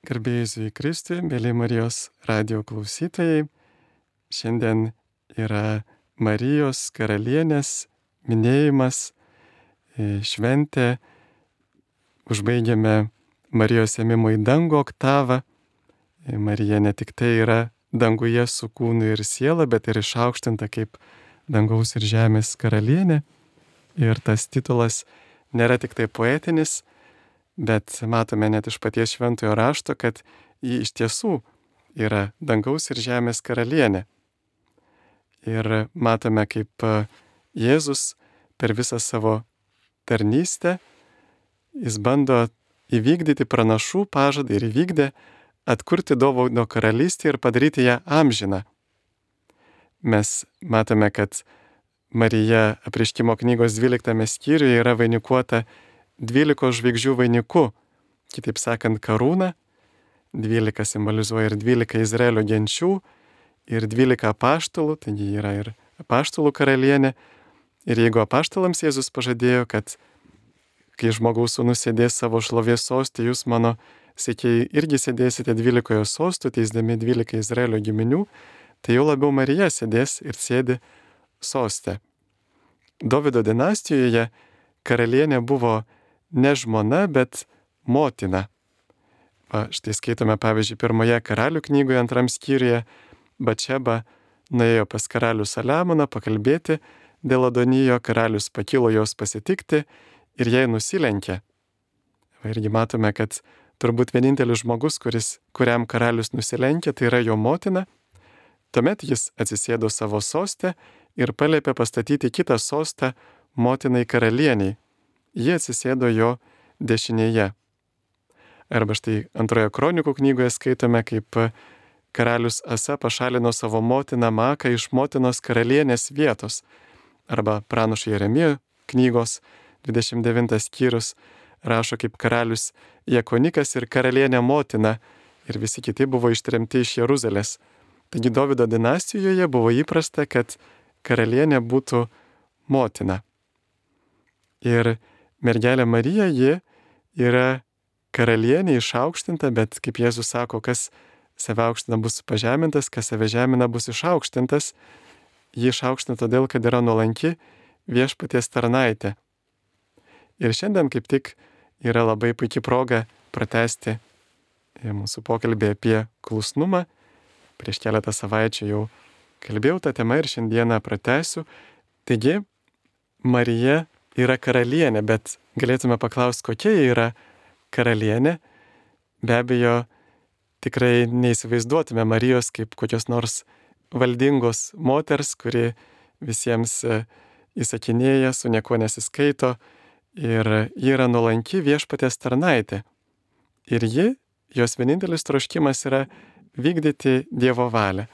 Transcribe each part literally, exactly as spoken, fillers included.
Garbėjai Kristui, mėly Marijos radijo klausytojai. Šiandien yra Marijos karalienės minėjimas, šventė. Užbaigiame Marijos ėmimo į dangų oktavą. Marija ne tik tai yra danguje su kūnu ir siela, bet ir išaukštinta kaip dangaus ir žemės karalienė. Ir tas titulas nėra tik tai poetinis, bet matome net iš paties šventojo rašto, kad ji iš tiesų yra dangaus ir žemės karalienė. Ir matome, kaip Jėzus per visą savo tarnystę jis bando įvykdyti pranašų pažadą ir įvykdė atkurti Dovydo karalystę ir padaryti ją amžiną. Mes matome, kad Marija Apreiškimo knygos dvyliktame skyriuje yra vainikuota dvylikos žvaigždžių vainiku, kitaip sakant, karūna. Dvylika simbolizuoja ir dvylika Izraelio genčių, ir dvylika apaštalų, taigi yra ir apaštalų karalienė. Ir jeigu apaštalams Jėzus pažadėjo, kad kai žmogaus sūnus sėdės savo šlovės soste, jūs mano sekėjai irgi sėdėsite dvylikoje sostų, teisdami dvylika Izraelio giminių, tai jau labiau Marija sėdės ir sėdi soste. Dovydo dinastijoje karalienė buvo ne žmona, bet motina. Va, štai skaitome, pavyzdžiui, pirmoje karalių knygoje, antram skyriuje, Bačeba nuėjo pas karalių Saliamoną pakalbėti dėl Adonijo, karalius pakilo jos pasitikti ir jai nusilenkė. Va, irgi matome, kad turbūt vienintelis žmogus, kuris, kuriam karalius nusilenkė, tai yra jo motina. Tuomet jis atsisėdo savo soste ir paliepė pastatyti kitą sostą motinai karalieniai. Ji atsisėdo jo dešinėje. Arba štai antroje kronikų knygoje skaitome, kaip karalius Asa pašalino savo motiną Maką iš motinos karalienės vietos. Arba pranašo Jeremijo knygos dvidešimt devintas skyrius rašo, kaip karalius Jekonikas ir karalienė motina ir visi kiti buvo ištremti iš Jeruzalės. Taigi Dovydo dinastijoje buvo įprasta, kad karalienė būtų motina. Ir mergelė Marija, ji yra karalienė išaukštinta, bet kaip Jėzus sako, kas save aukština bus pažemintas, kas save žemina bus išaukštintas. Ji išaukština todėl, kad yra nuolanki viešpaties tarnaitė. Ir šiandien kaip tik yra labai puikia proga pratęsti mūsų pokalbį apie klusnumą. Prieš keletą savaičių jau kalbėjau tą temą ir šiandieną pratęsiu. Taigi, Marija yra karalienė, bet galėtume paklausti, kokia ji yra karalienė. Be abejo, tikrai neįsivaizduotume Marijos kaip kokios nors valdingos moters, kuri visiems įsakinėja, su niekuo nesiskaito. Ir ji yra nuolanki viešpaties tarnaitė. Ir ji, jos vienintelis troškimas yra vykdyti Dievo valią.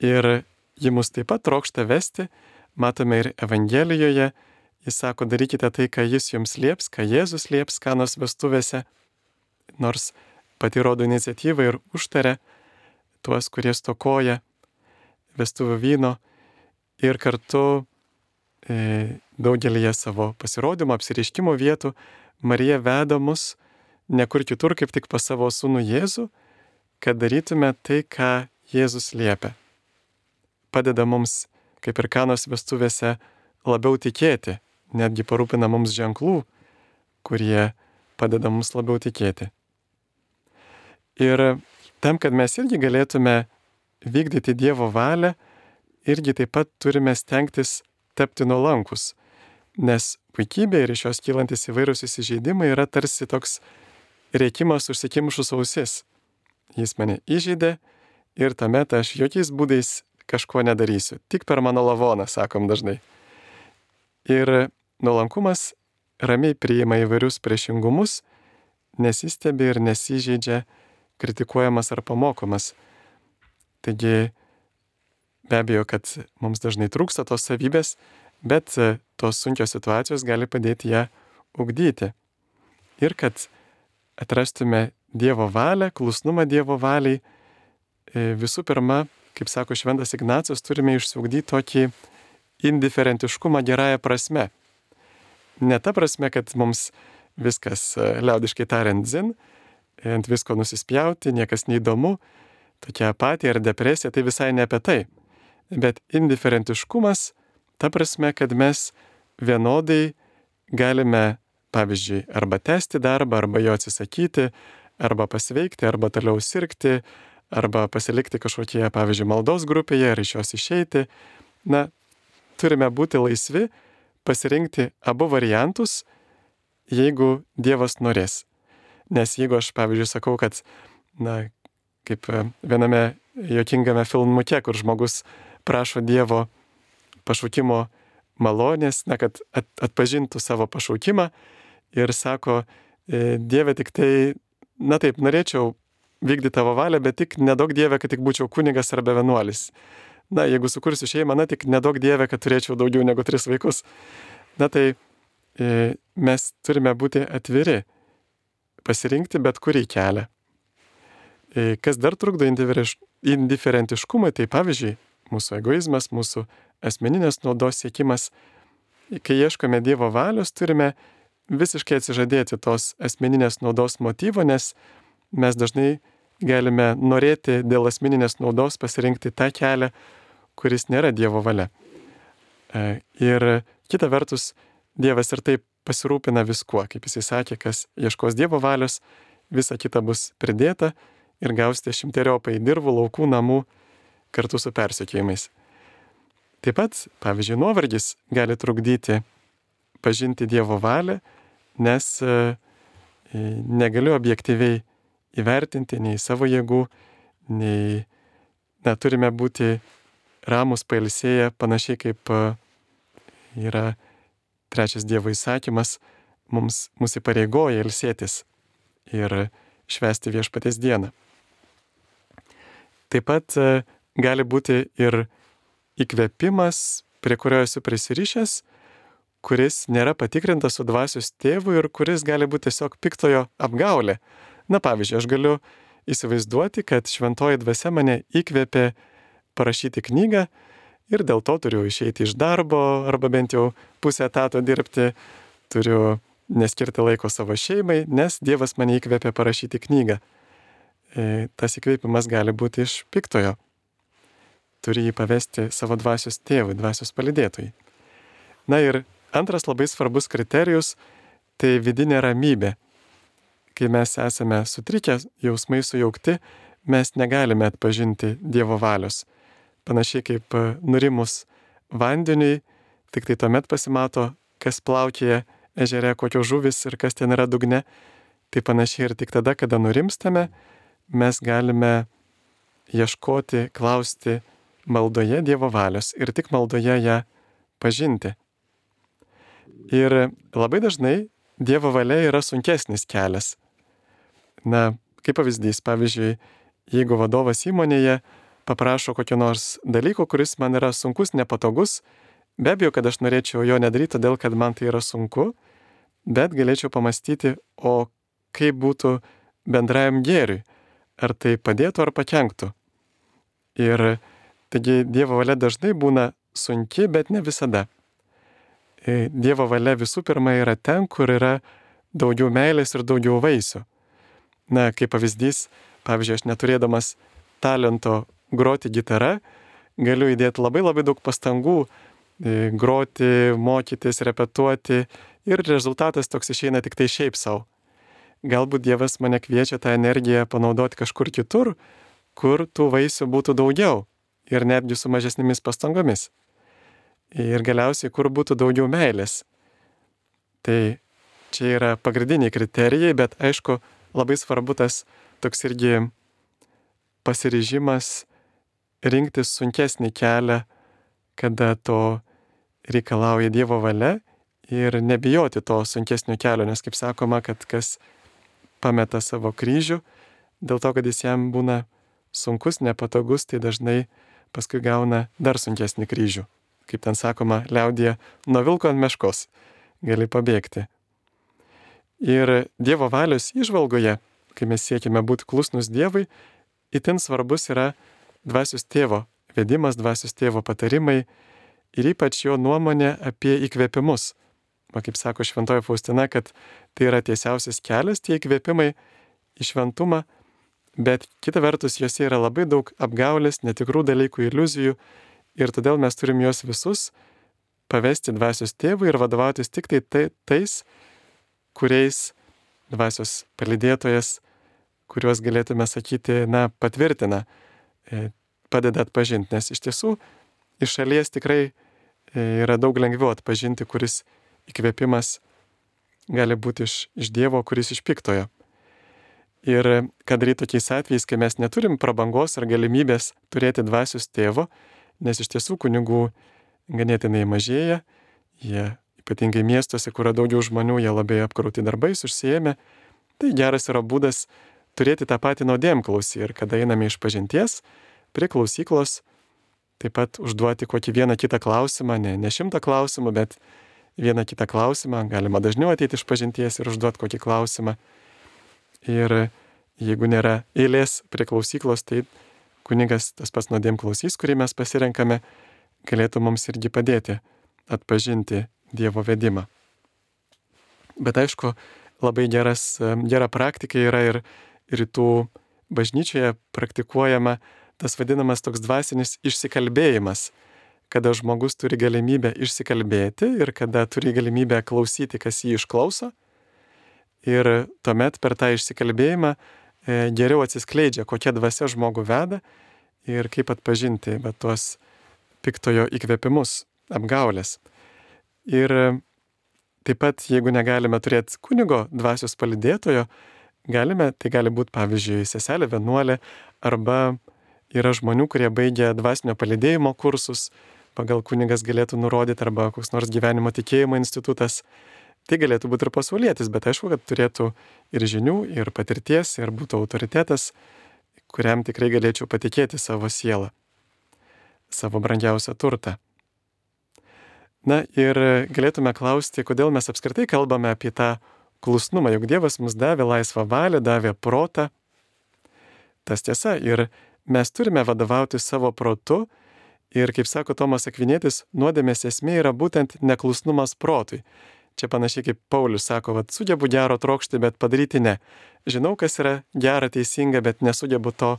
Ir ji mus taip pat trokšta vesti, matome ir Evangelijoje. Jis sako, darykite tai, ką jis jums lieps, ką Jėzus lieps Kanos vestuvėse, nors pati rodo iniciatyvą ir užtaria tuos, kurie stokoja vestuvių vyno. Ir kartu e, daugelįje savo pasirodymo, apsireiškimo vietų Marija veda mus ne kur kitur, kaip tik pas savo sūnų Jėzų, kad darytume tai, ką Jėzus liepia. Padeda mums, kaip ir Kanos vestuvėse, labiau tikėti. Netgi parūpina mums ženklų, kurie padeda mums labiau tikėti. Ir tam, kad mes irgi galėtume vykdyti Dievo valią, irgi taip pat turime stengtis tapti nuolankus. Nes puikybė ir iš jos kylantis įvairūs įsižeidimai yra tarsi toks rėkimas užsikimšus ausis. Jis mane įžeidė ir tuomet aš jokiais būdais kažko nedarysiu. Tik per mano lavoną, sakom dažnai. Ir nuolankumas ramiai priima įvairius priešingumus, nesistebi ir nesižeidžia, kritikuojamas ar pamokomas. Taigi, be abejo, kad mums dažnai trūksta tos savybės, bet tos sunkios situacijos gali padėti ją ugdyti. Ir kad atrastume Dievo valią, klusnumą Dievo valiai, visų pirma, kaip sako šventas Ignacas, turime išsiugdyti tokį indiferentiškumą gerąją prasme. Ne ta prasme, kad mums viskas, liaudiškai tariant, dzin, ant visko nusispjauti, niekas neįdomu, tokia apatija ar depresija, tai visai ne apie tai. Bet indiferentiškumas, ta prasme, kad mes vienodai galime, pavyzdžiui, arba tęsti darbą, arba jo atsisakyti, arba pasveikti, arba toliau sirgti, arba pasilikti kažkokie, pavyzdžiui, maldos grupėje ir iš jos išeiti. Na, turime būti laisvi, pasirinkti abu variantus, jeigu Dievas norės. Nes jeigu aš, pavyzdžiui, sakau, kad, na, kaip viename juokingame filmuke, kur žmogus prašo Dievo pašaukimo malonės, na, kad atpažintų savo pašaukimą ir sako, Dieve, tik tai, na taip, norėčiau vykdyti tavo valią, bet tik nedaug Dieve, kad tik būčiau kunigas arba vienuolis. Na, jeigu sukursiu šeimą, na, tik nedaug Dieve, kad turėčiau daugiau negu tris vaikus. Na, tai e, mes turime būti atviri, pasirinkti bet kurį kelią. E, kas dar trukdo indiferentiškumui, tai pavyzdžiui, mūsų egoizmas, mūsų asmeninės naudos siekimas. Kai ieškome Dievo valios, turime visiškai atsižadėti tos asmeninės naudos motyvo, nes mes dažnai galime norėti dėl asmeninės naudos pasirinkti tą kelią, kuris nėra Dievo valia. Ir kita vertus, Dievas ir taip pasirūpina viskuo, kaip jisai sakė, kas ieškos Dievo valios, visa kita bus pridėta ir gausite šimteriopai dirvų, laukų, namų kartu su persekiojimais. Taip pat, pavyzdžiui, nuovargis gali trukdyti pažinti Dievo valią, nes e, negaliu objektyviai įvertinti nei savo jėgų, nei na, turime būti ramus, pailsėję, panašiai kaip e, yra trečias Dievo įsakymas, mums mūsų įpareigoja ilsėtis ir švęsti viešpaties dieną. Taip pat e, gali būti ir įkvėpimas, prie kurio esu prisirišęs, kuris nėra patikrintas su dvasios tėvu ir kuris gali būti tiesiog piktojo apgaulė. Na pavyzdžiui, aš galiu įsivaizduoti, kad šventoji dvasia mane įkvėpė parašyti knygą ir dėl to turiu išeiti iš darbo arba bent jau pusę etato dirbti, turiu neskirti laiko savo šeimai, nes Dievas mane įkvėpė parašyti knygą. E, tas įkvėpimas gali būti iš piktojo. Turi jį pavesti savo dvasios tėvui, dvasios palydėtojai. Na ir antras labai svarbus kriterijus – tai vidinė ramybė. Kai mes esame sutrikę, jausmai sujaukti, mes negalime atpažinti Dievo valios. Panašiai kaip nurimus vandeniui, tik tai tuomet pasimato, kas plaukėja ežere, kokios žuvis ir kas ten yra dugne. Tai panašiai ir tik tada, kada nurimstame, mes galime ieškoti, klausti maldoje Dievo valios ir tik maldoje ją pažinti. Ir labai dažnai Dievo valia yra sunkesnis kelias. Na, kaip pavyzdys, pavyzdžiui, jeigu vadovas įmonėje paprašo kokio nors dalyko, kuris man yra sunkus, nepatogus, be abejo, kad aš norėčiau jo nedaryti, todėl kad man tai yra sunku, bet galėčiau pamastyti, o kaip būtų bendrajam gėriui, ar tai padėtų ar pakenktų. Ir taigi Dievo valia dažnai būna sunki, bet ne visada. Dievo valia visų pirma yra ten, kur yra daugiau meilės ir daugiau vaisių. Na, kaip pavyzdys, pavyzdžiui, aš neturėdamas talento groti gitarą, galiu įdėti labai labai daug pastangų groti, mokytis, repetuoti ir rezultatas toks išeina tik tai šiaip savo. Galbūt Dievas mane kviečia tą energiją panaudoti kažkur kitur, kur tų vaisių būtų daugiau ir netgi su mažesnėmis pastangomis. Ir galiausiai, kur būtų daugiau meilės. Tai čia yra pagrindiniai kriterijai, bet aišku, labai svarbu tas toks irgi pasiryžimas rinktis sunkesnį kelią, kada to reikalauja Dievo valia ir nebijoti to sunkesnio kelio, nes kaip sakoma, kad kas pameta savo kryžių, dėl to, kad jis jam būna sunkus, nepatogus, tai dažnai paskui gauna dar sunkesnį kryžių. Kaip ten sakoma, liaudyje, nuo vilko ant meškos gali pabėgti. Ir Dievo valios įžvalgoje, kai mes siekime būti klusnus Dievui, itin svarbus yra dvasios tėvo vedimas, dvasios tėvo patarimai ir ypač jo nuomonė apie įkvėpimus. Va, kaip sako šventoji Faustina, kad tai yra tiesiausias kelias, tie įkvėpimai į šventumą, bet kita vertus juose yra labai daug apgaulės, netikrų dalykų, iliuzijų ir todėl mes turim juos visus pavesti dvasios tėvui ir vadovautis tik tai, tai tais, kuriais dvasios palydėtojas, kuriuos galėtume sakyti, na, patvirtina, padeda atpažinti, nes iš tiesų iš šalies tikrai yra daug lengviau atpažinti, kuris įkvėpimas gali būti iš, iš Dievo, kuris iš piktojo. Ir ką daryti tokiais atvejais, kai mes neturim prabangos ar galimybės turėti dvasios tėvo, nes iš tiesų kunigų ganėtinai mažėja, jie ypatingai miestuose, kur yra daugiau žmonių, jie labai apkrauti darbais, užsiėmę, tai geras yra būdas turėti tą patį nuodėmklausį ir kada einame iš pažinties prie klausyklos, taip pat užduoti kokį vieną kitą klausimą, ne, ne šimtą klausimų, bet vieną kitą klausimą, galima dažniau ateiti iš pažinties ir užduoti kokį klausimą. Ir jeigu nėra eilės prie klausyklos, tai kunigas, tas pats nuodėmklausys, kurį mes pasirenkame, galėtų mums irgi padėti atpažinti Dievo vedimą. Bet aišku, labai geras, gera praktika yra ir rytų bažnyčioje praktikuojama tas vadinamas toks dvasinis išsikalbėjimas, kada žmogus turi galimybę išsikalbėti ir kada turi galimybę klausyti, kas jį išklauso. Ir tuomet per tą išsikalbėjimą geriau atsiskleidžia, kokia dvasia žmogų veda ir kaip atpažinti bet tuos piktojo įkvėpimus, apgaulės. Ir taip pat, jeigu negalime turėti kunigo dvasios palydėtojo, galime, tai gali būti pavyzdžiui seselė vienuolė, arba yra žmonių, kurie baigia dvasinio palydėjimo kursus, pagal kunigas galėtų nurodyti, arba koks nors gyvenimo tikėjimo institutas. Tai galėtų būti ir pasaulietis, bet aišku, kad turėtų ir žinių, ir patirties, ir būtų autoritetas, kuriam tikrai galėčiau patikėti savo sielą, savo brangiausią turtą. Na ir galėtume klausti, kodėl mes apskritai kalbame apie tą klusnumą, juk Dievas mums davė laisvą valią, davė protą. Tas tiesa, ir mes turime vadovauti savo protu, ir kaip sako Tomas Akvinietis, nuodėmės esmė yra būtent neklusnumas protui. Čia panašiai kaip Paulius sako, vat, sugebu gero trokšti, bet padaryti ne. Žinau, kas yra gera, teisinga, bet nesugebu to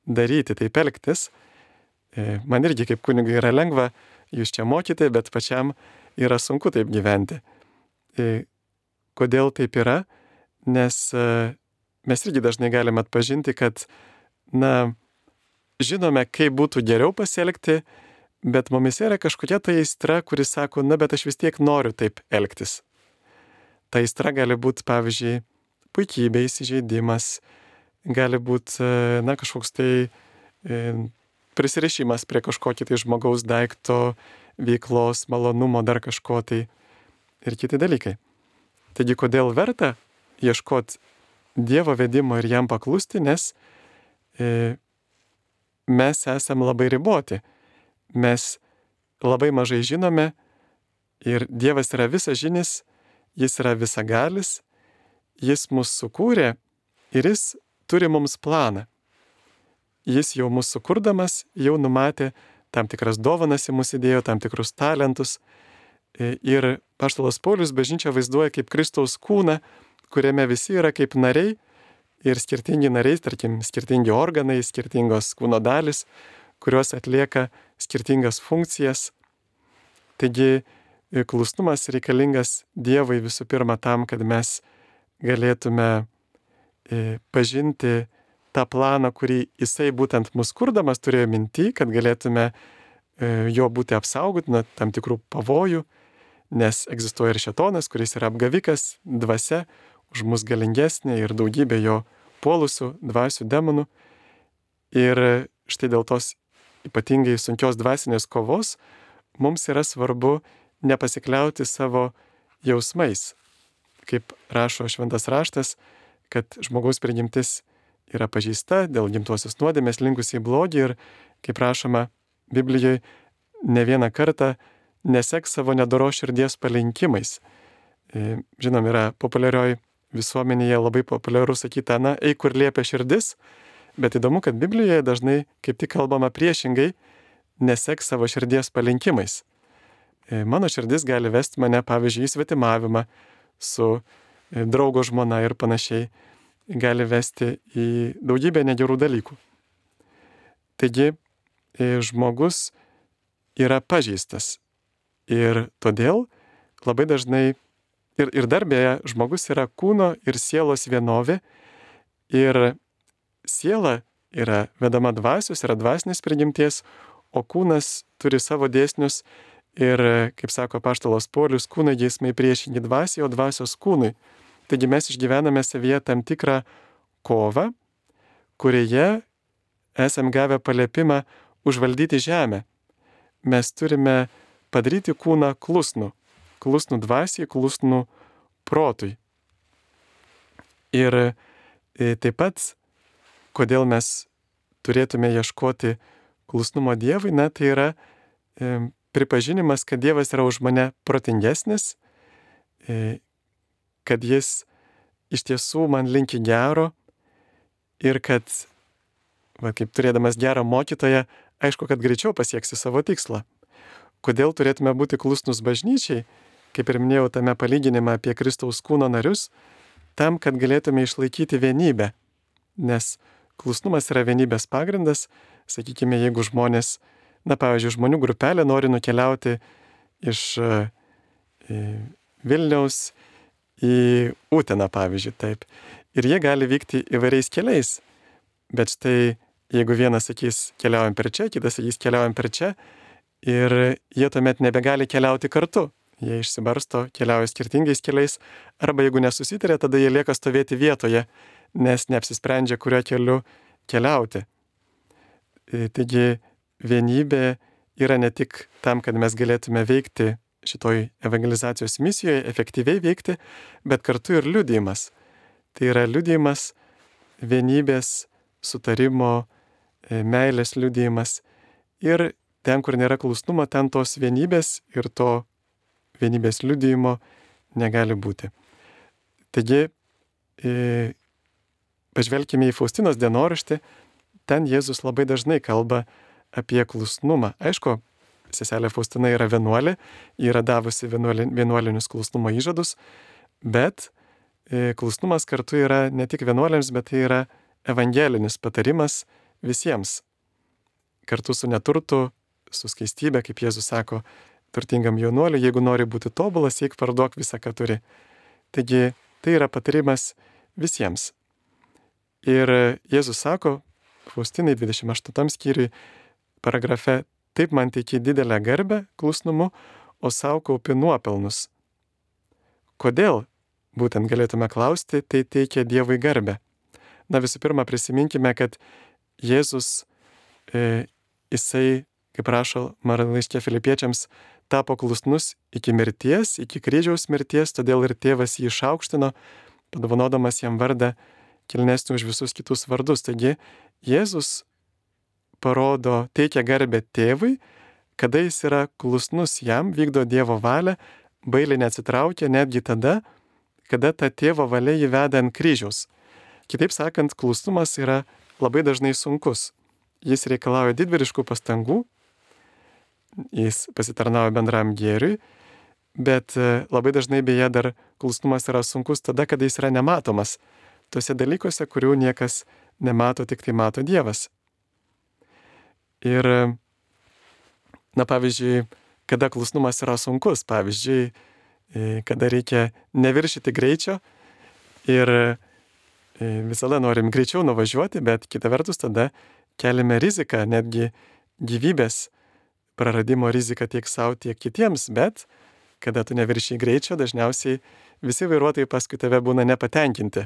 daryti, taip elgtis. Man irgi kaip kunigui yra lengva jūs čia mokyti, bet pačiam yra sunku taip gyventi. Kodėl taip yra? Nes mes irgi dažnai galime atpažinti, kad, na, žinome, kaip būtų geriau pasielgti, bet mumise yra kažkokia ta aistra, kuris sako, na, bet aš vis tiek noriu taip elgtis. Ta aistra gali būti, pavyzdžiui, puikybė, įsižeidimas, gali būti, na, kažkoks tai e, prisirišimas prie kažkokio tai žmogaus daikto, veiklos, malonumo, dar kažko tai ir kiti dalykai. Taigi, kodėl verta ieškoti Dievo vedimo ir jam paklusti, nes e, mes esame labai riboti. Mes labai mažai žinome ir Dievas yra visažinis, jis yra visagalis, jis mus sukūrė ir jis turi mums planą. Jis jau mus sukurdamas, jau numatė tam tikras dovanas į mus įdėjo, tam tikrus talentus. Ir apaštalas Paulius bažnyčią vaizduoja kaip Kristaus kūną, kuriame visi yra kaip nariai ir skirtingi nariai, tarkim, skirtingi organai, skirtingos kūno dalis, kurios atlieka skirtingas funkcijas. Taigi, klusnumas reikalingas Dievui visų pirma tam, kad mes galėtume pažinti tą planą, kurį jisai būtent mus kurdamas turėjo minty, kad galėtume jo būti apsaugoti nuo tam tikrų pavojų, nes egzistuoja ir šėtonas, kuris yra apgavikas, dvasia, už mus galingesnė ir daugybė jo puolusių dvasių demonų. Ir štai dėl tos ypatingai sunkios dvasinės kovos mums yra svarbu nepasikliauti savo jausmais. Kaip rašo šventas raštas, kad žmogaus prigimtis yra pažeista dėl gimtosios nuodėmės linkusi į blogį ir, kaip rašoma Biblijoje, ne vieną kartą nesek savo nedoros širdies palinkimais. Žinom, yra populiarioj visuomenėje labai populiaru sakyti, na, eik kur liepia širdis, bet įdomu, kad Biblijoje dažnai kaip tik kalbama priešingai, nesek savo širdies palinkimais. Mano širdis gali vesti mane, pavyzdžiui, į svetimavimą su draugo žmona ir panašiai. gali vesti į daugybę negerų dalykų. Taigi žmogus yra pažeistas ir todėl labai dažnai ir, ir dar beje, žmogus yra kūno ir sielos vienovė ir siela yra vedama dvasios, yra dvasinės prigimties, o kūnas turi savo dėsnius ir, kaip sako apaštalas Paulius, kūno geismai priešingi dvasiai, o dvasios kūnui. Taigi mes išgyvename savyje tam tikrą kovą, kurioje esam gavę paliepimą užvaldyti žemę. Mes turime padaryti kūną klusnų, klusnų dvasiai, klusnų protui. Ir taip pat, kodėl mes turėtume ieškoti klusnumo Dievui, na, tai yra e, pripažinimas, kad Dievas yra už mane protingesnis, e, kad jis iš tiesų man linki gero ir kad, va, kaip turėdamas gerą mokytoją, aišku, kad greičiau pasieksi savo tikslą. Kodėl turėtume būti klusnus bažnyčiai, kaip ir minėjau tame palyginime apie Kristaus kūno narius, tam, kad galėtume išlaikyti vienybę. Nes klusnumas yra vienybės pagrindas. Sakykime, jeigu žmonės, na pavyzdžiui, žmonių grupelė nori nukeliauti iš e, Vilniaus į Uteną, pavyzdžiui, taip. Ir jie gali vykti įvairiais keliais. Bet štai, jeigu vienas sakys, keliaujam per čia, kitas sakys, keliaujam per čia, ir jie tuomet nebegali keliauti kartu. Jie išsibarsto, keliauja skirtingais keliais, arba jeigu nesusitarė, tada jie lieka stovėti vietoje, nes neapsisprendžia, kuriuo keliu keliauti. Taigi vienybė yra ne tik tam, kad mes galėtume veikti šitoj evangelizacijos misijoje, efektyviai veikti, bet kartu ir liudijimas. Tai yra liudijimas, vienybės, sutarimo, meilės liudijimas. Ir ten, kur nėra klusnumo, ten tos vienybės ir to vienybės liudijimo negali būti. Taigi, e, pažvelkime į Faustinos dienoraštį, ten Jėzus labai dažnai kalba apie klusnumą. Aišku, seselė Faustina yra vienuolė, ji yra davusi vienuolinius klusnumo įžadus, bet e, klusnumas kartu yra ne tik vienuolėms, bet tai yra evangelinis patarimas visiems. Kartu su neturtu, su skaistybė, kaip Jėzus sako, turtingam jaunuoliui, jeigu nori būti tobulas, eik parduok visą, ką turi. Taigi, tai yra patarimas visiems. Ir Jėzus sako, Faustinai dvidešimt aštuntam skyriui, paragrafe, taip man teiki didelę garbę klusnumu, o savo kaupi nuopelnus. Kodėl? Būtent galėtume klausti, tai teikia Dievui garbę. Na visų pirma, prisiminkime, kad Jėzus, e, jisai, kaip rašo laiške Filipiečiams, tapo klusnus iki mirties, iki kryžiaus mirties, todėl ir tėvas jį išaukštino, padovanodamas jam vardą kilnesnį už visus kitus vardus. Taigi Jėzus parodo, teikia garbę tėvui, kada jis yra klusnus jam, vykdo Dievo valią, bailiai neatsitraukia netgi tada, kada ta tėvo valia jį veda ant kryžiaus. Kitaip sakant, klusnumas yra labai dažnai sunkus. Jis reikalauja didvyriškų pastangų, jis pasitarnauja bendram gėriui, bet labai dažnai beje dar klusnumas yra sunkus tada, kada jis yra nematomas. Tuose dalykuose, kurių niekas nemato, tik tai mato Dievas. Ir, na pavyzdžiui, kada klusnumas yra sunkus, pavyzdžiui, kada reikia neviršyti greičio ir visada norim greičiau nuvažiuoti, bet kita vertus tada keliame riziką, netgi gyvybės praradimo riziką tiek savo, tiek kitiems, bet kada tu neviršiai greičio, dažniausiai visi vairuotojai paskui tave būna nepatenkinti.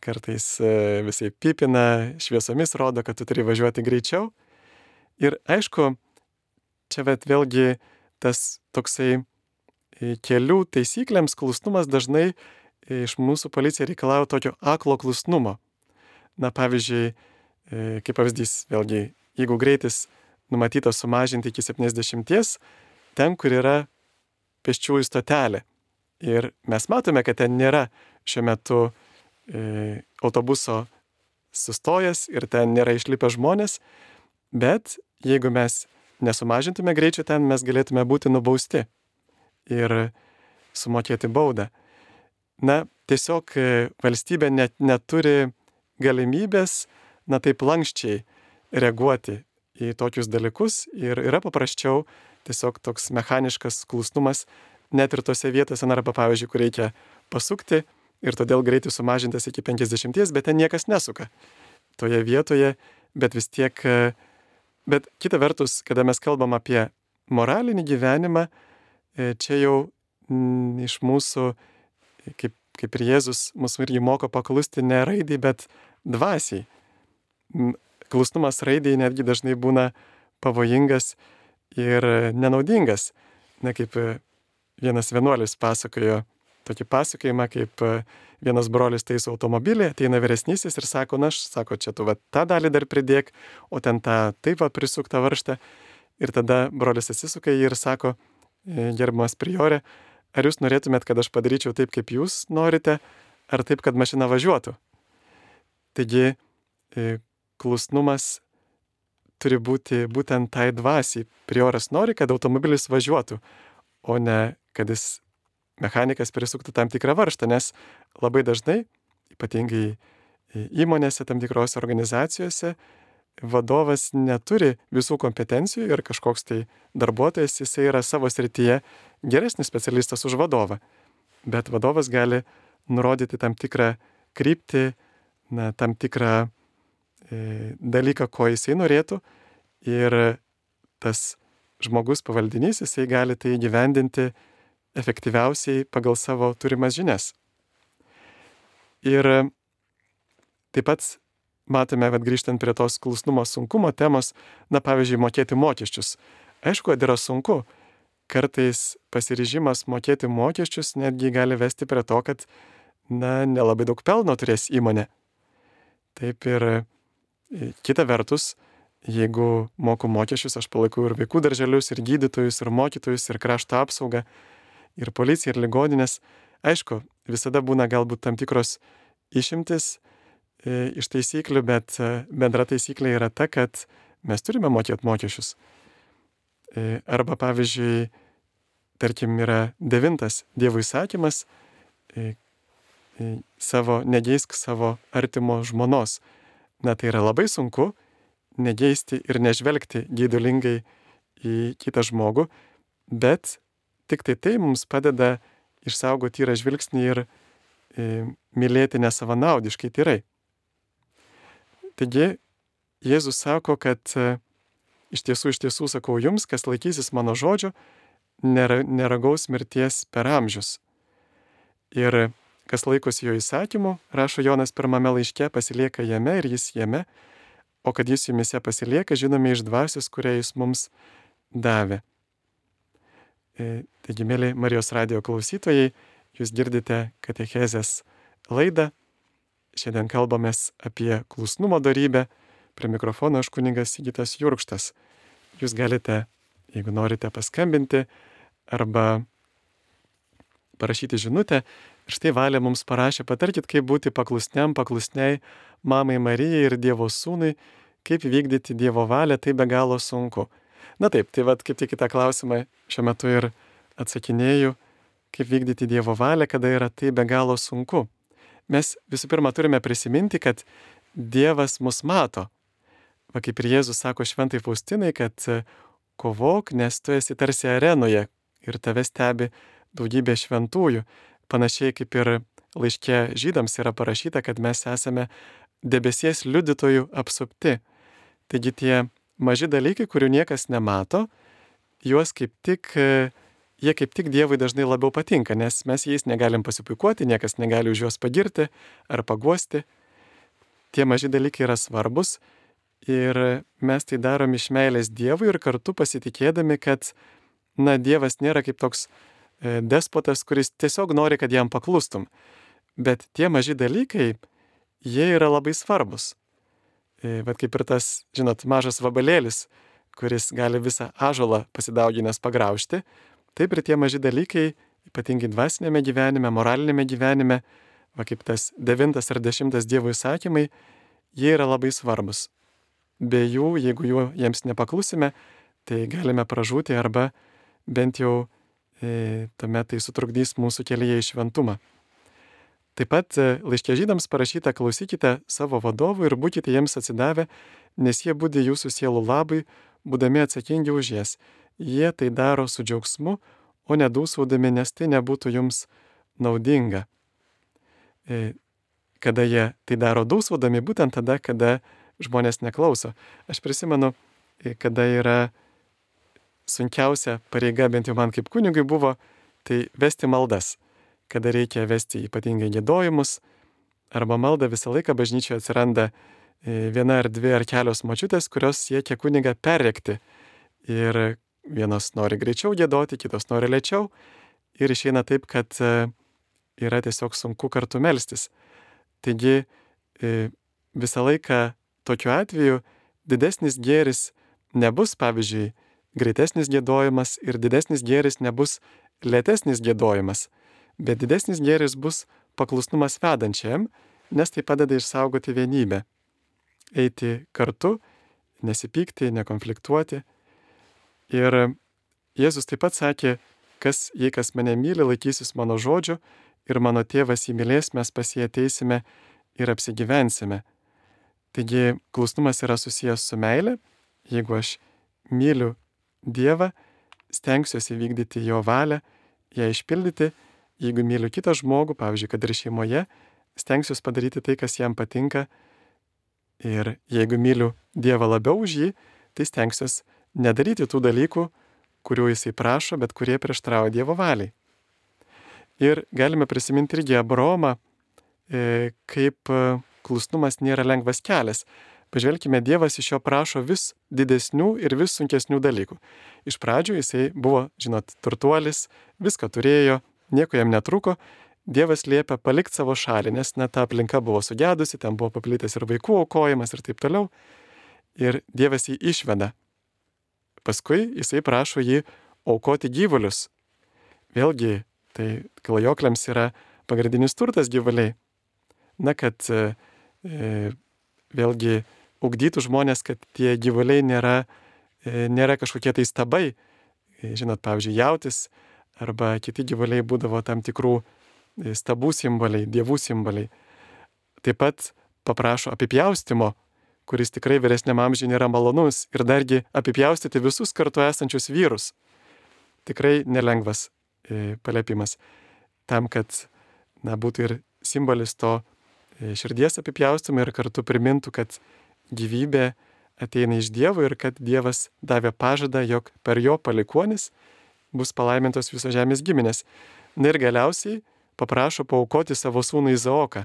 Kartais visai pipina, šviesomis rodo, kad tu turi važiuoti greičiau. Ir aišku, čia bet vėlgi tas toksai kelių taisyklėms klusnumas dažnai iš mūsų policija reikalauja tokio aklo klusnumo. Na pavyzdžiui, kaip pavyzdys, vėlgi, jeigu greitis numatytas sumažinti iki septyniasdešimties, ten, kur yra pėsčiųjų stotelė. Ir mes matome, kad ten nėra šiuo metu e, autobuso sustojęs ir ten nėra išlipę žmonės, bet jeigu mes nesumažintume greičio ten, mes galėtume būti nubausti ir sumokėti baudą. Na, tiesiog valstybė net neturi galimybės, na taip lankščiai reaguoti į tokius dalykus ir yra paprasčiau tiesiog toks mechaniškas klusnumas net ir tose vietose, na, arba pavyzdžiui, kur reikia pasukti ir todėl greitis sumažintas iki penkiasdešimties, bet ten niekas nesuka toje vietoje, bet vis tiek, bet kita vertus, kada mes kalbam apie moralinį gyvenimą, čia jau m, iš mūsų, kaip, kaip ir Jėzus mūsų irgi moko paklusti ne raidai, bet dvasiai. Klusnumas raidai netgi dažnai būna pavojingas ir nenaudingas. Na, kaip vienas vienuolis pasakojo tokį pasakojimą, kaip vienas brolis taiso automobilį, ateina vyresnysis ir sako, na, aš, sako, čia tu va tą dalį dar pridėk, o ten tą taip va prisuktą varžtą. Ir tada brolis atsisuka jį ir sako, gerbiamas priorė, ar jūs norėtumėt, kad aš padaryčiau taip, kaip jūs norite, ar taip, kad mašina važiuotų? Taigi, klusnumas turi būti būtent tai dvasiai. Prioras nori, kad automobilis važiuotų, o ne kad jis mechanikas prisuktų tam tikrą varžtą, nes labai dažnai, ypatingai įmonėse, tam tikrose organizacijose, vadovas neturi visų kompetencijų ir kažkoks tai darbuotojas, jisai yra savo srityje geresnis specialistas už vadovą. Bet vadovas gali nurodyti tam tikrą kryptį, na, tam tikrą e, dalyką, ko jisai norėtų, ir tas žmogus pavaldinys, jisai gali tai įgyvendinti efektyviausiai pagal savo turimas žinias. Ir taip pat matome, kad grįžtant prie tos klusnumo sunkumo temos, na, pavyzdžiui, mokėti mokesčius. Aišku, kad yra sunku. Kartais pasiryžimas mokėti mokesčius netgi gali vesti prie to, kad, na, nelabai daug pelno turės įmonė. Taip ir kita vertus, jeigu moku mokesčius, aš palaikau ir vaikų darželius, ir gydytojus, ir mokytojus, ir krašto apsaugą, ir policiją, ir ligoninės. Aišku, visada būna galbūt tam tikros išimtis e, iš taisyklių, bet e, bendra taisyklė yra ta, kad mes turime mokėti mokesčius. E, arba, pavyzdžiui, tarkim, yra devintas Dievo įsakymas, e, e, savo, negeisk savo artimo žmonos. Na, tai yra labai sunku negeisti ir nežvelgti geidulingai į kitą žmogų, bet tik tai tai mums padeda išsaugoti tyrą žvilgsnį ir e, mylėti nesavanaudiškai tyrai. Taigi, Jėzus sako, kad e, iš tiesų, iš tiesų sakau jums, kas laikysis mano žodžio, nera, neragaus mirties per amžius. Ir kas laikosi jo įsakymų, rašo Jonas pirmame laiške, pasilieka jame ir jis jame, o kad jis jumise pasilieka, žinome iš dvasios, kurią jis mums davė. Taigi, mėly Marijos radijo klausytojai, jūs girdite katechezės laidą. Šiandien kalbamės apie klusnumo dorybę. Prie mikrofono aš kunigas Sigitas Jurkštas. Jūs galite, jeigu norite, paskambinti arba parašyti žinutę. Ir štai Valė mums parašė, patarkit, kaip būti paklusniam, paklusniai mamai Marijai ir Dievo sūnui, kaip vykdyti Dievo valią, tai be galo sunku. Na taip, tai vad kaip tik į tą klausimą šiuo metu ir atsakinėju, kaip vykdyti Dievo valią, kada yra tai be galo sunku. Mes visų pirma turime prisiminti, kad Dievas mus mato. Va kaip ir Jėzus sako šventai Faustinai, kad kovok, nes tu esi tarsi arenoje ir tave stebi daugybė šventųjų. Panašiai kaip ir laiške žydams yra parašyta, kad mes esame debesies liudytojų apsupti. Taigi tie maži dalykai, kurių niekas nemato, juos kaip tik, jie kaip tik Dievui dažnai labiau patinka, nes mes jais negalim pasipuikuoti, niekas negali už juos pagirti ar paguosti. Tie maži dalykai yra svarbus ir mes tai darom iš meilės Dievui ir kartu pasitikėdami, kad, na, Dievas nėra kaip toks despotas, kuris tiesiog nori, kad jam paklustum. Bet tie maži dalykai, jie yra labai svarbus. Bet kaip ir tas, žinot, mažas vabalėlis, kuris gali visą ąžuolą pasidauginęs pagraužti, taip ir tie maži dalykai, ypatingai dvasinėme gyvenime, moralinėme gyvenime, va kaip tas devintas ar dešimtas Dievo įsakymai, jie yra labai svarbus. Be jų, jeigu jų jiems nepaklusime, tai galime pražūti arba bent jau e, tuomet tai sutrukdys mūsų kelyje į šventumą. Taip pat laiške Žydams parašyta: klausykite savo vadovų ir būkite jiems atsidavę, nes jie budi jūsų sielų labui, būdami atsakingi už jas. Jie tai daro su džiaugsmu, o ne dūsaudami, nes tai nebūtų jums naudinga. Kada jie tai daro dūsaudami, būtent tada, kada žmonės neklauso. Aš prisimenu, kada yra sunkiausia pareiga, bent jau man kaip kunigui buvo, tai vesti maldas. Kada reikia vesti ypatingai giedojimus arba maldą, visą laiką bažnyčioje atsiranda viena ar dvi ar kelios močiutės, kurios siekia kunigą perrėkti. Ir vienos nori greičiau giedoti, kitos nori lėčiau. Ir išeina taip, kad yra tiesiog sunku kartu melstis. Taigi visą laiką tokiu atveju didesnis gėris nebus, pavyzdžiui, greitesnis giedojimas ir didesnis gėris nebus lėtesnis giedojimas, bet didesnis gėris bus paklusnumas vedančiam, nes tai padeda išsaugoti vienybę. Eiti kartu, nesipykti, nekonfliktuoti. Ir Jėzus taip pat sakė: kas, jei kas mane myli, laikysis mano žodžių ir mano tėvas jį mylės, mes pas jį ateisime ir apsigyvensime. Taigi klusnumas yra susijęs su meile. Jeigu aš myliu Dievą, stengsiuosi vykdyti jo valią, ją išpildyti. Jeigu myliu kitą žmogų, pavyzdžiui, kad ir šeimoje, stengsiuosi padaryti tai, kas jam patinka. Ir jeigu myliu Dievą labiau už jį, tai stengsiuosi nedaryti tų dalykų, kurių jisai prašo, bet kurie prieštarauja Dievo valiai. Ir galime prisiminti irgi Abraomą, kaip klusnumas nėra lengvas kelias. Pažvelkime, Dievas iš jo prašo vis didesnių ir vis sunkesnių dalykų. Iš pradžių jisai buvo, žinot, turtuolis, viską turėjo, nieko jam netruko. Dievas liepia palikti savo šalį, nes net ta aplinka buvo sugedusi, ten buvo paplitęs ir vaikų aukojimas ir taip toliau. Ir Dievas jį išveda. Paskui jisai prašo jį aukoti gyvulius. Vėlgi, tai klajokliams yra pagrindinis turtas gyvuliai. Na, kad e, vėlgi ugdytų žmonės, kad tie gyvuliai nėra, e, nėra kažkokie tai stabai. E, žinot, pavyzdžiui, jautis arba kiti gyvuliai būdavo tam tikrų stabų simboliai, dievų simboliai. Taip pat paprašo apipjaustimo, kuris tikrai vyresniam amžiui nėra malonus, ir dargi apipjaustyti visus kartu esančius vyrus. Tikrai nelengvas e, paliepimas. Tam, kad na, būtų ir simbolis to e, širdies apipjaustimo ir kartu primintų, kad gyvybė ateina iš Dievo ir kad Dievas davė pažadą, jog per jo palikuonis bus palaimintos visos žemės giminės. Na ir galiausiai paprašo paaukoti savo sūnų Izaoką.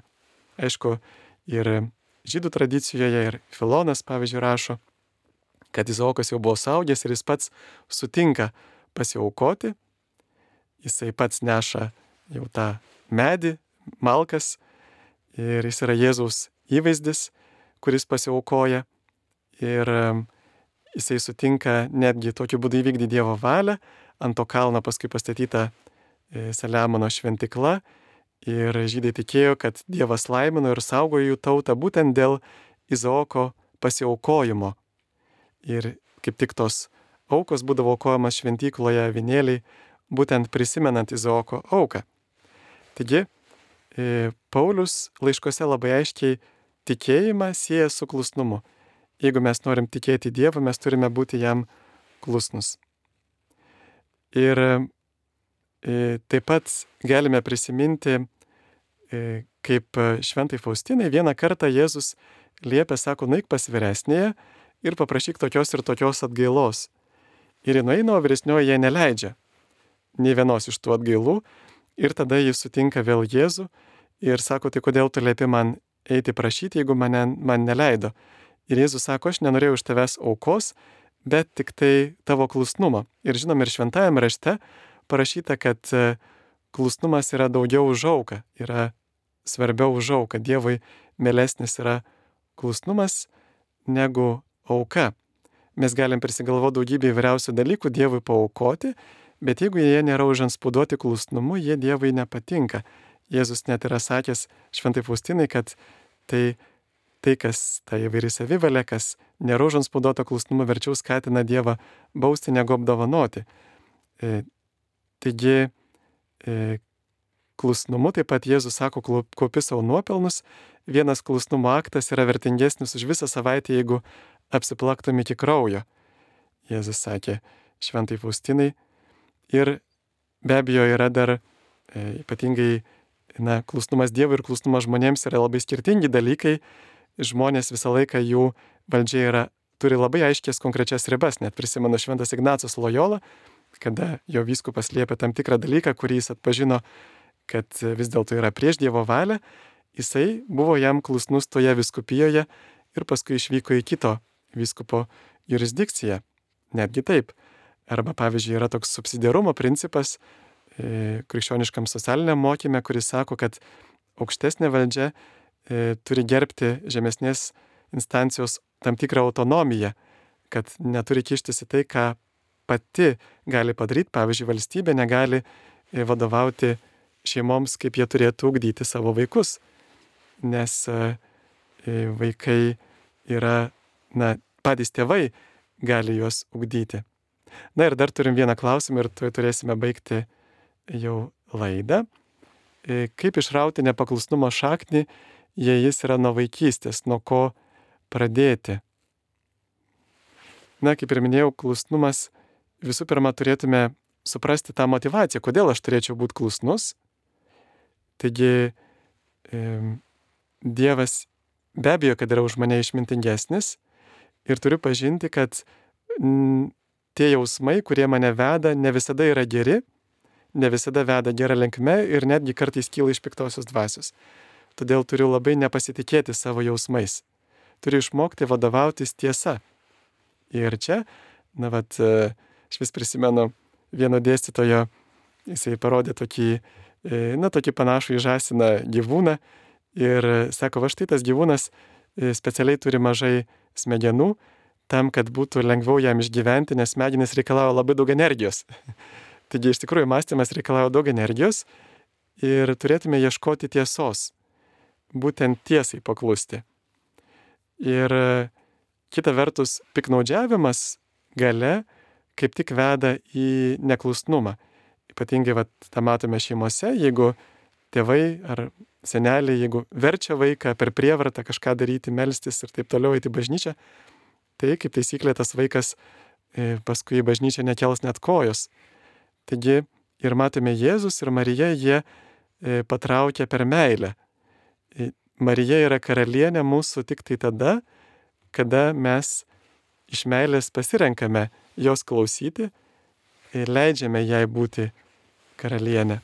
Aišku, ir žydų tradicijoje, ir Filonas, pavyzdžiui, rašo, kad Izaokas jau buvo suaugęs ir jis pats sutinka pasiaukoti. Jisai pats neša jau tą medį, malkas, ir jis yra Jėzaus įvaizdis, kuris pasiaukoja. Ir jisai sutinka netgi tokiu būdu įvykdyti Dievo valią. Ant to kalno paskui pastatyta Saliamono šventikla. Ir žydai tikėjo, kad Dievas laimino ir saugojo jų tautą būtent dėl Izaoko pasiaukojimo. Ir kaip tik tos aukos būdavo aukojamas šventykloje avinėliai, būtent prisimenant Izaoko auką. Taigi, Paulius laiškose labai aiškiai tikėjimą sieja su klusnumu. Jeigu mes norim tikėti Dievu, mes turime būti jam klusnus. Ir taip pat galime prisiminti, kaip šventai Faustinai vieną kartą Jėzus liepė, sako, nueik pas vyresnėje ir paprašyk tokios ir tokios atgailos. Ir ji nueina, o vyresnioji jai neleidžia nei vienos iš tų atgailų. Ir tada jis sutinka vėl Jėzų ir sako, tai kodėl tu liepi man eiti prašyti, jeigu mane, man neleido. Ir Jėzus sako, aš nenorėjau iš tavęs aukos, bet tik tai tavo klusnumo. Ir žinom, ir šventajame rašte parašyta, kad klusnumas yra daugiau už auką, yra svarbiau už auką. Dievui mielesnis yra klusnumas negu auka. Mes galim prisigalvoti daugybę įvairiausių dalykų Dievui paaukoti, bet jeigu jie nėra užantspauduoti klusnumu, jie Dievui nepatinka. Jėzus net yra sakęs šventai Faustinai, kad tai, tai kas ta įvairi savivalė, kas nėra užantspauduota klusnumu, verčiau skatina Dievą bausti negu apdovanoti. E, taigi, e, klusnumu. Taip pat Jėzus sako, kaupi savo nuopelnus. Vienas klusnumo aktas yra vertingesnis už visą savaitę, jeigu apsiplaktum iki kraujo. Jėzus sakė šventai Faustinai. Ir be abejo yra dar e, ypatingai na, klusnumas Dievui ir klusnumas žmonėms yra labai skirtingi dalykai. Žmonės visą laiką jų valdžia yra, turi labai aiškias konkrečias ribas. Net prisimenu šventas Ignacas Lojola, kada jo vyskupas liepė tam tikrą dalyką, kurį jis atpažino, kad vis dėlto yra prieš Dievo valią, jisai buvo jam klusnus toje vyskupijoje ir paskui išvyko į kito vyskupo jurisdikciją. Netgi taip. Arba pavyzdžiui yra toks subsidiarumo principas e, krikščioniškam socialiniam mokyme, kuris sako, kad aukštesnė valdžia e, turi gerbti žemesnės instancijos tam tikrą autonomiją, kad neturi kištis į tai, ką pati gali padaryti. Pavyzdžiui, valstybė negali e, vadovauti šeimoms, kaip jie turėtų ugdyti savo vaikus, nes e, vaikai yra, na, patys tėvai gali juos ugdyti. Na ir dar turim vieną klausimą ir tuoj turėsime baigti jau laidą. Kaip išrauti nepaklusnumo šaknį, jei jis yra nuo vaikystės, nuo ko pradėti? Na, kaip ir minėjau, klusnumas visų pirma turėtume suprasti tą motivaciją, kodėl aš turėčiau būti klusnus. Taigi, e, Dievas be abejo, kad yra už mane išmintingesnis ir turiu pažinti, kad m, tie jausmai, kurie mane veda, ne visada yra geri, ne visada veda gerą linkme ir netgi kartais kyla iš piktosios dvasios. Todėl turiu labai nepasitikėti savo jausmais. Turiu išmokti vadovautis tiesa. Ir čia, na vat, aš vis prisimenu vieno dėstytojo, jisai parodė tokį, na, tokį panašų į žąsiną gyvūną ir sako, va štai tas gyvūnas specialiai turi mažai smegenų, tam, kad būtų lengviau jam išgyventi, nes smegenys reikalauja labai daug energijos. Taigi iš tikrųjų mąstymas reikalauja daug energijos ir turėtume ieškoti tiesos, būtent tiesai paklusti. Ir kita vertus, piknaudžiavimas gale kaip tik veda į neklusnumą. Ypatingai vat, tą matome šeimose, jeigu tėvai ar seneliai, jeigu verčia vaiką per prievartą kažką daryti, melstis ir taip toliau eiti į bažnyčią, tai kaip taisyklė tas vaikas e, paskui į bažnyčią nekels net kojos. Taigi ir matome Jėzus ir Marija, jie e, patraukia per meilę. E, Marija yra karalienė mūsų tik tai tada, kada mes iš meilės pasirenkame jos klausyti ir leidžiame jai būti karalienė.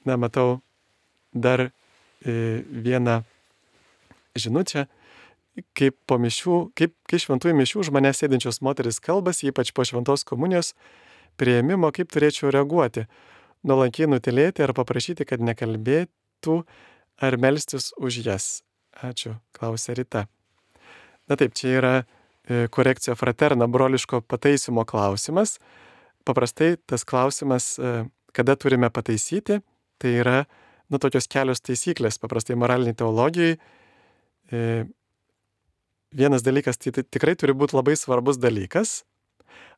Na, matau dar e, vieną žinutę. Kaip po mišių, kaip kai šventųjų mišių už mane sėdinčios moteris kalbasi, ypač po šventos komunijos priėmimo, kaip turėčiau reaguoti, nuolankiai nutilėti ar paprašyti, kad nekalbėtų ar melstis už jas. Ačiū, klausė Rita. Na taip, čia yra korekcija fraterna, broliško pataisymo klausimas. Paprastai tas klausimas, kada turime pataisyti, tai yra, nu, tokios kelios taisyklės, paprastai moraliniai teologijai. Vienas dalykas, tai tikrai turi būti labai svarbus dalykas.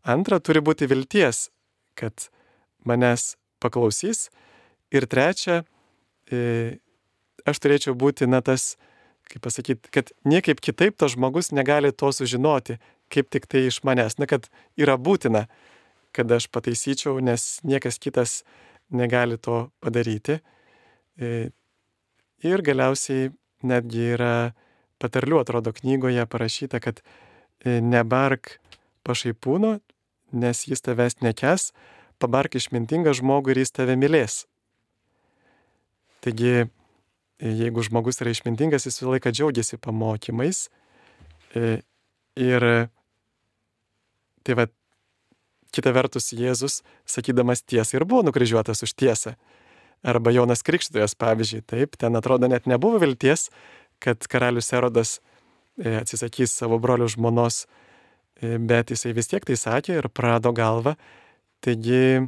Antra, turi būti vilties, kad manęs paklausys. Ir trečia, aš turėčiau būti, na, tas, kaip pasakyti, kad niekaip kitaip tas žmogus negali to sužinoti, kaip tik tai iš manęs. Na, kad yra būtina, kad aš pataisyčiau, nes niekas kitas negali to padaryti. Ir galiausiai netgi yra patarlių, atrodo, knygoje parašyta, kad nebark pašaipūno, nes jis tavęs nekęs, pabark išmintingą žmogų ir jis tave mylės. Taigi, jeigu žmogus yra išmintingas, jis visą laiką džiaugiasi pamokymais. Ir tai va, kita vertus Jėzus, sakydamas tiesą, ir buvo nukryžiuotas už tiesą. Arba Jonas Krikštytojas, pavyzdžiui, taip, ten atrodo net nebuvo vilties, kad karalius Erodas atsisakys savo brolio žmonos, bet jisai vis tiek tai sakė ir prarado galvą. Taigi,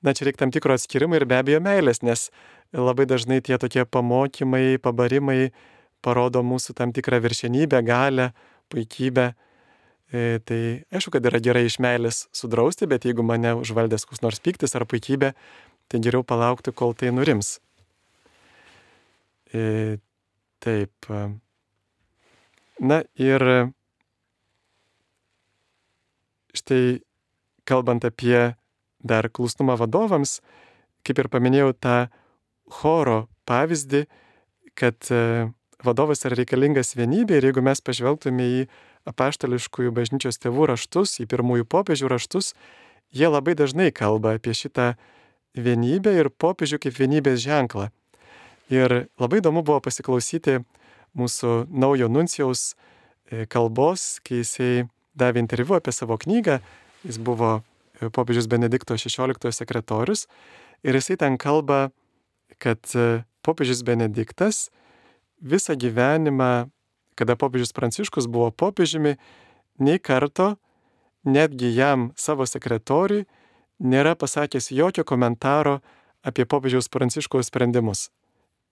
na, čia reikia tam tikro atskirimo ir be abejo meilės, nes labai dažnai tie tokie pamokymai, pabarimai parodo mūsų tam tikrą viršenybę, galią, puikybę. E, tai aišku, kad yra gerai iš meilės sudrausti, bet jeigu mane užvaldęs koks nors pyktis ar puikybė, tai geriau palaukti, kol tai nurims. E, taip. Na ir štai kalbant apie dar klusnumą vadovams, kaip ir paminėjau tą choro pavyzdį, kad vadovas yra reikalingas vienybė ir jeigu mes pažvelgtume į apaštališkųjų bažnyčios tėvų raštus, į pirmųjų popiežių raštus, jie labai dažnai kalba apie šitą vienybę ir popiežių kaip vienybės ženklą. Ir labai įdomu buvo pasiklausyti mūsų naujo nuncijaus kalbos, kai jisai davė interviu apie savo knygą. Jis buvo popiežius Benedikto šešioliktojo sekretorius ir jisai ten kalba, kad popiežius Benediktas visą gyvenimą, kada popiežius Pranciškus buvo popiežiumi, nei karto, netgi jam savo sekretoriui, nėra pasakęs jokio komentaro apie popiežiaus Pranciškaus sprendimus.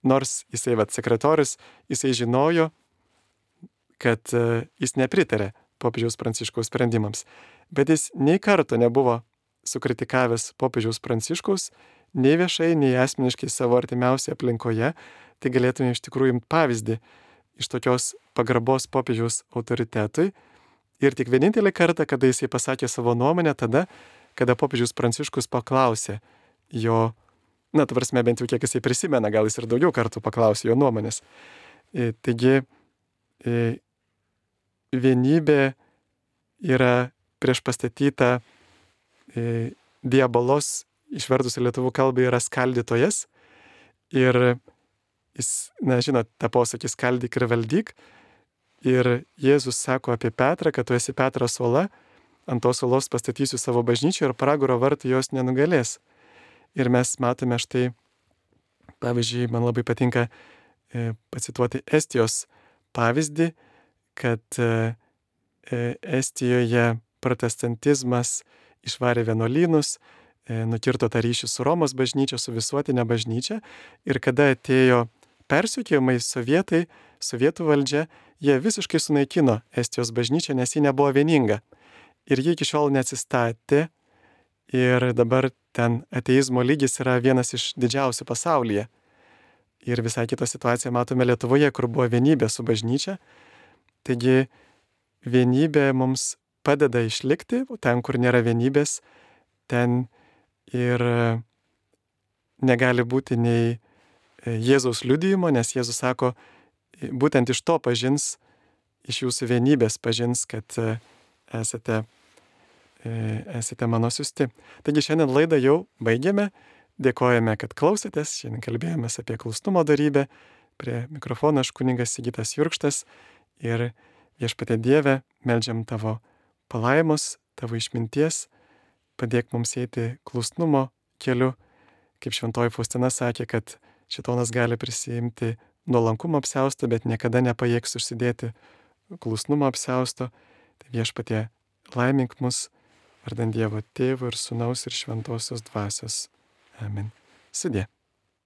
Nors jisai, vat, sekretorius, jisai žinojo, kad jis nepritarė popiežiaus Pranciškaus sprendimams. Bet jis nei karto nebuvo sukritikavęs popiežiaus Pranciškaus, nei viešai, nei asmeniškai savo artimiausioje aplinkoje. Tai galėtume iš tikrųjų imti pavyzdį iš tokios pagarbos popiežiaus autoritetui. Ir tik vienintelį kartą, kada jisai pasakė savo nuomonę, tada, kada popiežius Pranciškus paklausė jo, na, tu prasme, bent jau kiek jisai prisimena, gal jis ir daugiau kartų paklausė jo nuomonės. E, taigi, e, vienybė yra priešpastatyta e, diabolos, išvertus į lietuvių kalbą, yra skaldytojas. Ir jis, na, žinot, tą posakį skaldyk ir valdyk. Ir Jėzus sako apie Petrą, kad tu esi Petras uola, ant tos uolos pastatysiu savo bažnyčią ir pragaro vartai jos nenugalės. Ir mes matome štai, pavyzdžiui, man labai patinka e, pacituoti Estijos pavyzdį, kad e, Estijoje protestantizmas išvarė vienuolynus, e, nukirto tą ryšį su Romos bažnyčia, su visuotinė bažnyčia. Ir kada atėjo persekiojimai sovietai, sovietų valdžia, jie visiškai sunaikino Estijos bažnyčią, nes ji nebuvo vieninga. Ir ji iki šiol neatsistatė. Ir dabar ten ateizmo lygis yra vienas iš didžiausių pasaulyje. Ir visai kitą situaciją matome Lietuvoje, kur buvo vienybė su bažnyčia. Taigi vienybė mums padeda išlikti, ten, kur nėra vienybės, ten ir negali būti nei Jėzaus liudijimo, nes Jėzus sako, būtent iš to pažins, iš jūsų vienybės pažins, kad esate esate mano siusti. Taigi šiandien laidą jau baigėme. Dėkojame, kad klausėtės. Šiandien kalbėjomės apie klusnumo dorybę. Prie mikrofono aš kunigas Sigitas Jurkštas. Ir Viešpatie Dieve, meldžiam tavo palaimos, tavo išminties. Padėk mums eiti klusnumo keliu. Kaip šventoji Faustina sakė, kad šėtonas gali prisiimti nuolankumo apsiausto, bet niekada nepajėgs užsidėti klusnumo apsiausto. Tai Viešpatie, laimink mus, vardant Dievo Tėvo ir Sūnaus ir Šventosios Dvasios. Amen. Sudie.